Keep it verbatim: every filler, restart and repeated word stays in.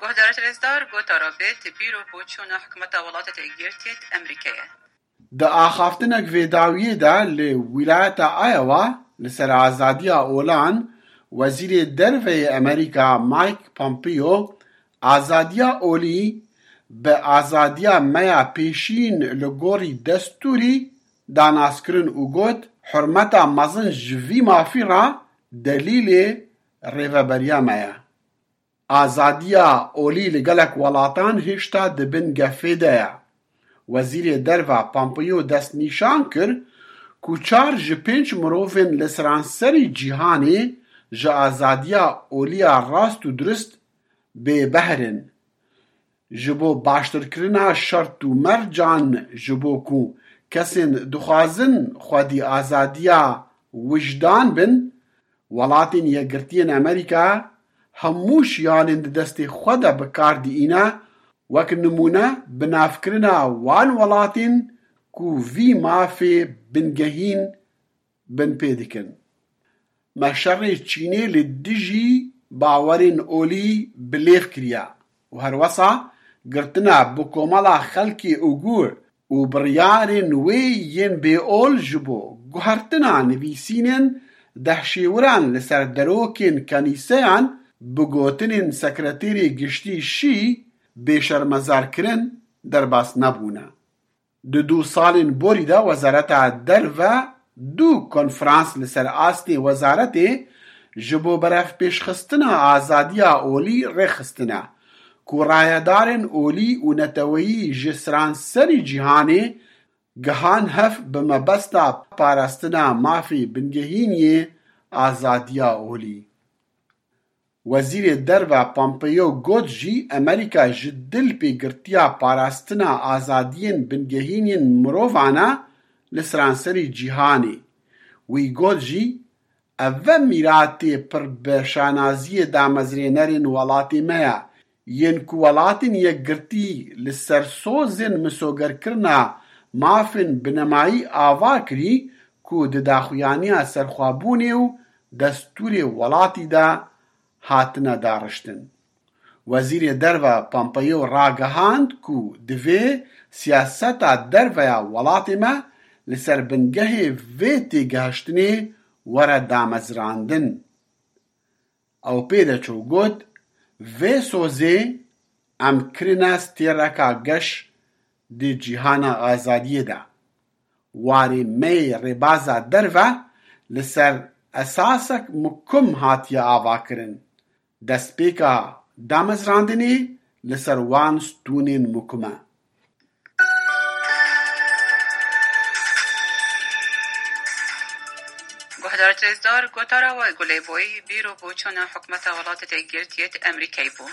Guhdarêt rêzdar, gotara vê ti bîr û boçûna hikûmeta Welatê Yekgirtiyê Amerîkayê. Di axaftinek vê dawiyê de li wîlayeta Iowa li ser azadiya olan, Wezîrê Derve yê Amerîka Mike Pompeo azadiya olî bi azadiya me ya pêşîn li gorî destûrî da nas kirin û got, hurmeta mezin ji vî mafî re delîlê rêveberiya me ye. Azadiya olî li gelek welatan hêşta di bin gefê de ye. Wezîrê Derve Pompeo destnîşan kir ku çar ji pênc mirovên li seranserî cîhanê ji azadiya olî ya rast û durist bêbehr in. Ji bo baştirkirina şert û mercan, ji bo ku kesên dixwazin xwedî azadiya wijdan bin, Welatên Yekgirtiyên Amerîka hemû şiyanên di destê xwe de bi kar diîne, wek nimûne binavkirina wan welatên ku vî mafê bingehîn binpê dikin. Me şerê Çînê li dijî bawerên olî bi lêv kiriye û herwesa girtina bi komela xelkê Ugur û biryarên wê yên bêol ji bo guhertina nivîsînên dehşêwiran li ser derokên kenîseyan bi gotinên Sekreterê Giştî Şî bê şermezarkirin derbas nebûne. Di du salên borî de Wezareta Derve du konferans li ser astê wezaretê ji bo berevpêşxistina azadiya olî rêxistine, ku rayedarên olî û neteweyî ji seranserî cîhanê gihan hev bi mebesta parastina mafê bingehîniyê azadiya olî. Wezîrê Derve Pompeo got jî Amerîka ji dil pê girtiya parastina azadiyên bingehînên mirovan e li seranserî cîhanê. Wî got jî, ev e mîratê pir bi şanaziyê damezrênerên welatê me ye, yên ku Welatên Yekgirtî li ser sozên misogerkirina mafên binemayî ava kirî ku di daxuyaniya serxwebûnê û destûrê welatî de hatine dariştin. Wezîrê Derve Pompeo ragihand ku divê siyaseta derve ya welatê me li ser bingehê vê têgihiştinê were damezrandin. Ew pê de çû got, vê sozê em kirine stêreka geş di cîhana azadiyê de. Warê me yê rêbaza derve li ser esasek mukim hatiye avakirin. Destpêka damezrandinê li ser wan stûnên mukim e. Guhdarêt rêzdar, gotara we Gulê Boyî, bîr û boçûna hikûmeta Welatê Yekgirtiyê Amerîkayê bû.